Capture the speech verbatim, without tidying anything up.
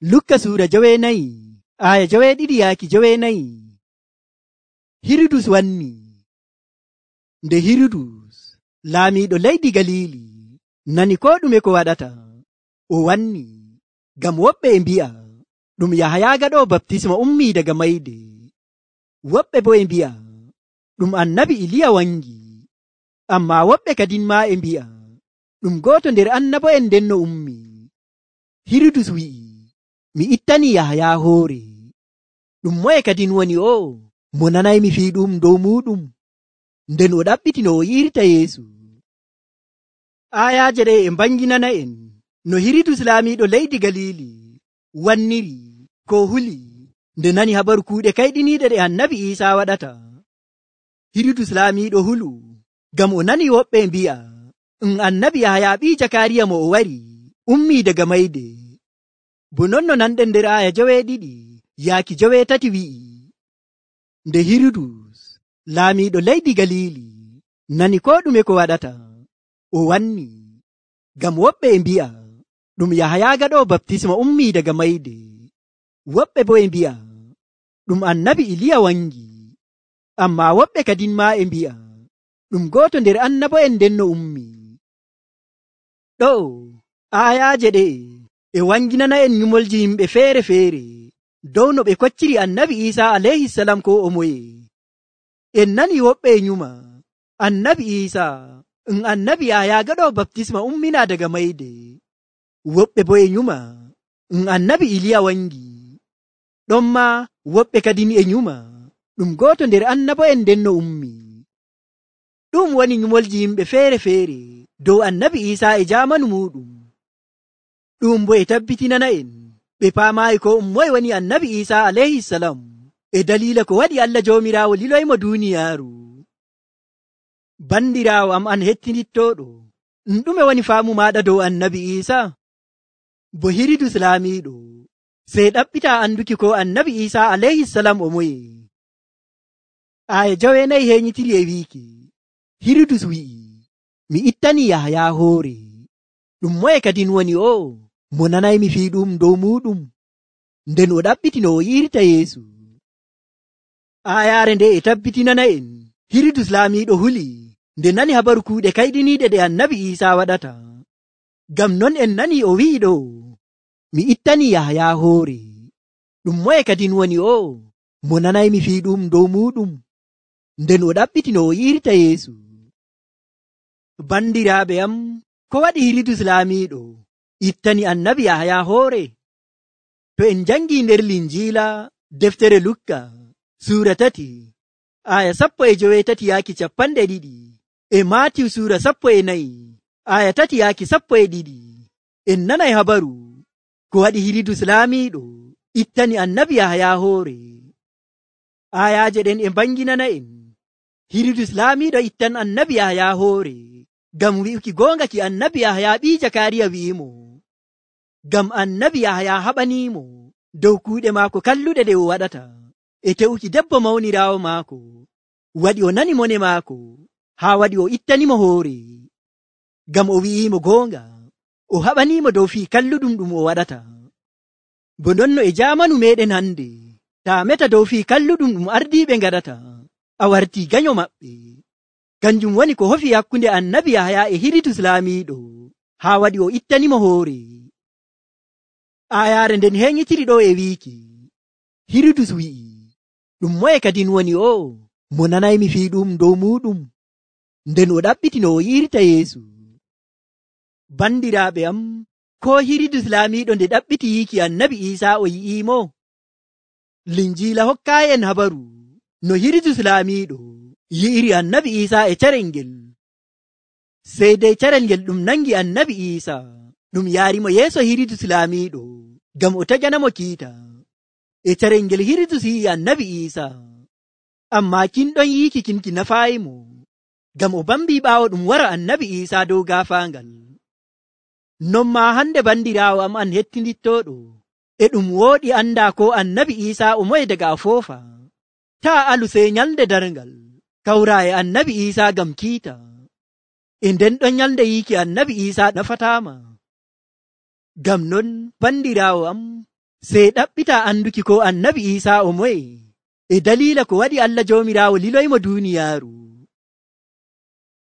Lukka suura joweenayi aya joweeɗiɗi yaaki joweenayi. Hirudus wanni. Nde Hirudus laamiiɗo leydi Galiili nani ko ɗume ko waɗata, o wanni ngam woɓɓe e mbi'a ɗum Yahaya gaɗoowo baptisma ummii daga mayde, woɓɓe bo e mbi'a ɗum annabi Iliya wangi, ammaa woɓɓe kadin maa e mbi'a ɗum gooto nder annabo'en ndenno ummii. Hirudus wi'i, mi ittanii Yahaya hoore. Ɗum moye kadin woni o mo nanaymi fiiɗum dow muɗum? Nden o ɗaɓɓiti no o yi'irta Yeesu. Aayaaje ɗe e mbanginana en no Hirudus laamiiɗo leydi Galiili wanniri ko huli nde nani habaru kuuɗe kayɗiniiɗe ɗe annabi Iisaa waɗata. Hirudus laamiiɗo hulu ngam o nani woɓɓe mbi'a um annabi Yahaya ɓii Jakariya mo o wari ummii daga mayde. Bo non no nanɗen nder aaya joweeɗiɗi yaaki joweetati wi'i, nde Hirudus laamiiɗo leydi Galiili nani ko ɗume ko waɗata, o wanni ngam woɓɓe e mbi'a ɗum Yahaya gaɗoowo baptisma ummii daga mayde, woɓɓe bo e mbi'a ɗum annabi Iliya wangi, ammaa woɓɓe kadin maa e mbi'a ɗum gooto nder annabo'en ndenno ummii. Ɗo aayaaje ɗe e wanginana en nyumolji yimɓe feere-feere dow no ɓe kocciri annabi Iisaa alayhisalam ko o moye. En nani woɓɓe e nyuma annabi Iisaa um annabi Yahaya gaɗoowo baptisma ummina daga mayde, woɓɓe bo e nyuma um annabi Iliya wangi, ɗonma woɓɓe kadin e nyuma ɗum gooto nder annabo'en ndenno ummii. Ɗum woni nyumolji yimɓe feere-feere dow annabi Iisaa e jaamanu muɗum. Ɗum bo e tabbitinana en ɓe paamaayi ko um moye woni annabi Iisaa alayhisalam e daliila ko waɗi Allah Joomiraawo liloymo duuniyaaru. Bandiraawo am an hettinittooɗo, ɗum ɗume woni faamu maaɗa dow annabi Iisaa? Bo Hirudus laamiiɗo sey ɗaɓɓita anduki ko annabi Iisaa alayhisalam o moye. Aaya joweenayi heeñitiri e wiiki, Hirudus wi'i, mi ittanii Yahaya hoore. Ɗum moye kadin woni o mo nanaymi fiiɗum dow muɗum? Nden o ɗaɓɓiti no o yi'irta Yeesu. Aayaare nde e tabbitinana en Hirudus laamiiɗo huli nde nani habaru kuuɗe kayɗiniiɗe ɗe annabi Iisaa waɗata. Ngam non en nani o wi'i ɗo, mi ittanii Yahaya hoore. Ɗum moye kadin woni o mo nanaymi fiiɗum dow muɗum? Nden o ɗaɓɓiti no o yi'irta Yeesu. Bandiraaɓe am, ko waɗi Hirudus laamiiɗo ittani annabi Yahaya hoore? To en jangii nder Linjiila deftere Lukka suura tati aya sappo e joweetati yaaki capanɗe ɗiɗi, e Maatiw suura sappo e nayi aya tati yaaki sappo e ɗiɗi, en nanay habaru ko waɗi Hirudus laamiiɗo ittani annabi Yahaya hoore. Ayaaje ɗen e mbanginana en Hirudus laamiiɗo ittan annabi Yahaya hoore ngam wi'uki goonga ki annabi Yahaya ɓii Jakariya wi'imo, ngam annabi Yahaya haɓaniimo dow kuuɗe maako kalluɗe ɗe o waɗata e te'uki debbo mawniraawo maako, waɗi o nani mone maako haa waɗi o ittanimo hoore, ngam o wi'iimo goonga o haɓaniimo dow fii kalluɗum ɗum o waɗata. Bo nonno e jaamanu meɗen hande, taa meta dow fii kalluɗum ɗum ardiiɓe ngaɗata, a wartii ganyo maɓɓe. Kanjum woni ko hofi hakkunde annabi Yahaya e Hirudus laamiiɗo haa waɗi o ittanimo hoore. Aayaare nden heeñitiri ɗo e wiiki, Hirudus wi'i, ɗum moye kadin woni o mo nanaymi fiiɗum dow muɗum? Nden o ɗaɓɓiti no o yi'irta Yeesu. Bandiraaɓe am, ko Hirudus laamiiɗo nde ɗaɓɓiti yiiki annabi Iisaa o yi'iimo? Linjiila hokkaayi en habaru no Hirudus laamiiɗo yi'iri annabi Iisaa e carel ngel. Sey dey carel ngel ɗum nangi annabi Iisaa ɗum yaarimo yeeso Hirudus laamiiɗo ngam o taƴanamo kiita. E carel ngel Hirudus yi'i annabi Iisaa, ammaa kin ɗon yiiki kin ki nafaayimo, ngam o bambii ɓaawo ɗum wara annabi Iisaa dow gaafaangal. Non maa hande bandiraawo am an hettinittooɗo, e ɗum wooɗi anndaa ko annabi Iisaa o moye daga a foofa. Taa alu sey nyalde darngal kawraa e annabi Iisaa ngam kiita. E nden ɗon nyalde yiiki annabi Iisaa nafataama. Ngam non bandiraawo am, sey ɗaɓɓita anduki ko annabi Iisaa o moye e daliila ko waɗi Allah Joomiraawo liloymo duuniyaaru